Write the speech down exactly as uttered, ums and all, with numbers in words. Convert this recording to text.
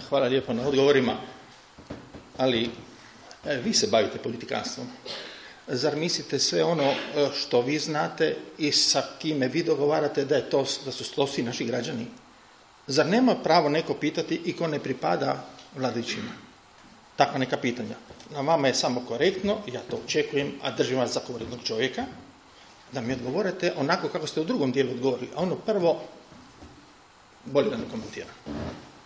Hvala lijepo na odgovorima, ali vi se bavite politikanstvom. Zar mislite sve ono što vi znate i sa kime vi dogovarate da, je to, da su to svi naši građani? Zar nema pravo neko pitati i ko ne pripada vladajućima? Takva neka pitanja. Na vama je samo korektno, ja to očekujem, a držim vas za korektnog čovjeka, da mi odgovorite onako kako ste u drugom dijelu odgovorili. A ono prvo, bolje da ne komentiram.